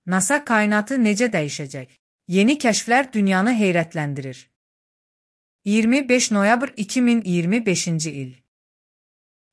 NASA kainatı necə dəyişəcək? Yeni kəşflər dünyanı heyrətləndirir. 25 noyabr 2025-ci il.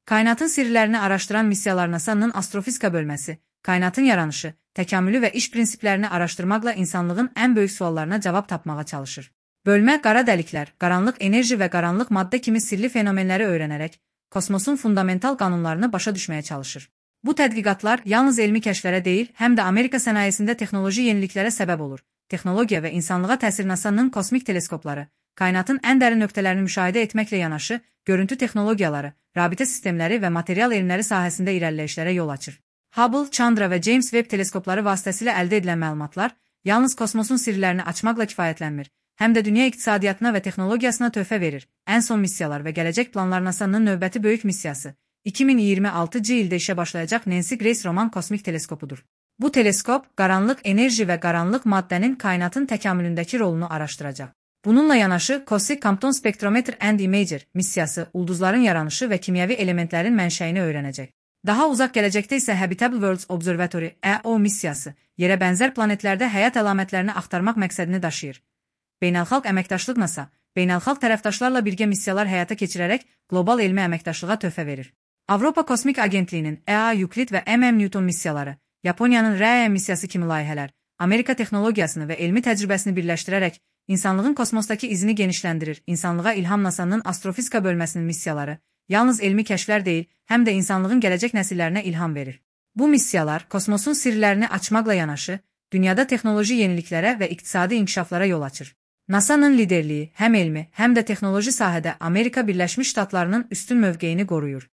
Kainatın sirlərini araşdıran missiyalar NASA'nın astrofizika bölməsi, kainatın yaranışı, təkamülü və iş prinsiplərini araşdırmaqla insanlığın ən böyük suallarına cavab tapmağa çalışır. Bölmə qara dəliklər, qaranlıq enerji və qaranlıq maddə kimi sirli fenomenləri öyrənərək, kosmosun fundamental qanunlarını başa düşməyə çalışır. Bu tədqiqatlar yalnız elmi kəşflərə deyil, həm də Amerika sənayesində texnoloji yeniliklərə səbəb olur. Texnologiya və insanlığa təsir NASA'nın kosmik teleskopları, kainatın ən dərin nöqtələrini müşahidə etməklə yanaşı, görüntü texnologiyaları, rabitə sistemləri və material elmləri sahəsində irəliləyişlərə yol açır. Hubble, Chandra və James Webb teleskopları vasitəsilə əldə edilən məlumatlar yalnız kosmosun sirlərini açmaqla kifayətlənmir, həm də dünya iqtisadiyyatına və texnologiyasına töhfə verir. Ən son missiyalar və gələcək planlar NASA'nın növbəti böyük missiyası 2026-cı ildə işə başlayacaq Nancy Grace Roman kosmik teleskopudur. Bu teleskop, qaranlıq enerji və qaranlıq maddənin kainatın təkamülündəki rolunu araşdıracaq. Bununla yanaşı, Cosmic Compton Spectrometer and Imager missiyası ulduzların yaranışı və kimyəvi elementlərin mənşəyini öyrənəcək. Daha uzaq gələcəkdə isə Habitable Worlds Observatory (EO) missiyası, yerə bənzər planetlərdə həyat əlamətlərini axtarmaq məqsədini daşıyır. Beynəlxalq əməkdaşlıq NASA, beynəlxalq tərəfdaşlarla birgə missiyalar həyata keçirərək qlobal elmi əməkdaşlığa töhfə verir. Avropa Kosmik Agentliyinin EA Euclid və MM-Newton missiyaları, Yaponiyanın RAE missiyası kimi layihələr, Amerika texnologiyasını və elmi təcrübəsini birləşdirərək insanlığın kosmosdakı izini genişləndirir. İnsanlığa ilham NASA'nın astrofizika bölməsinin missiyaları yalnız elmi kəşflər deyil, həm də insanlığın gələcək nəsillərinə ilham verir. Bu missiyalar kosmosun sirlərini açmaqla yanaşı, dünyada texnoloji yeniliklərə və iqtisadi inkişaflara yol açır. NASA'nın liderliyi həm elmi, həm də texnoloji sahədə Amerika Birləşmiş Ştatlarının üstün mövqeyini qoruyur.